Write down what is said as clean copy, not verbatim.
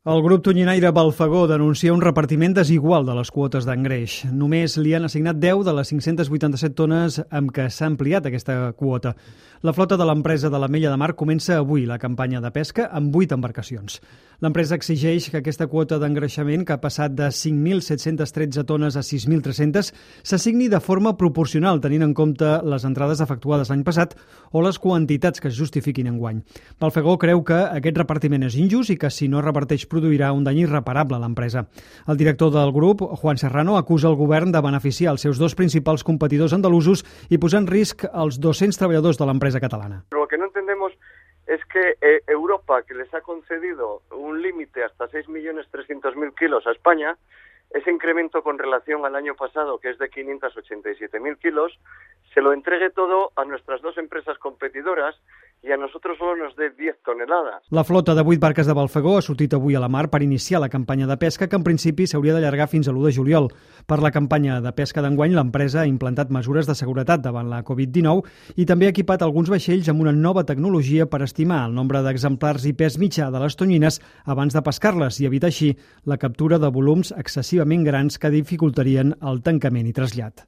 El grup tonyinaire Balfagó denuncia un repartiment desigual de les quotes d'engreix. Només li han assignat 10 de les 587 tones amb què s'ha ampliat aquesta quota. La flota de l'empresa de l'Ametlla de Mar comença avui la campanya de pesca amb 8 embarcacions. L'empresa exigeix que aquesta quota d'engreixament, que ha passat de 5.713 tones a 6.300, s'assigni de forma proporcional, tenint en compte les entrades efectuades l'any passat o les quantitats que es justifiquin enguany. Balfagó creu que aquest repartiment és injust i que si no reparteix produirà un dany irreparable a l'empresa. El director del grup, Juan Serrano, acusa el govern de beneficiar els seus dos principals competidors andalusos i posar en risc els 200 treballadors de l'empresa catalana. Lo que no entendemos es que Europa, que les ha concedido un límite hasta 6.300.000 kilos a España, ese incremento con relación al año pasado, que es de 587.000 kilos, se lo entregue todo a nuestras dos empresas competidoras i a nosotros solo nos dé 10 toneladas. La flota de 8 barques de Balfagó ha sortit avui a la mar per iniciar la campanya de pesca, que en principi s'hauria d'allargar fins a l'1 de juliol. Per la campanya de pesca d'enguany, l'empresa ha implantat mesures de seguretat davant la Covid-19 i també ha equipat alguns vaixells amb una nova tecnologia per estimar el nombre d'exemplars i pes mitjà de les tonyines abans de pescar-les i evitar així la captura de volums excessivament grans que dificultarien el tancament i trasllat.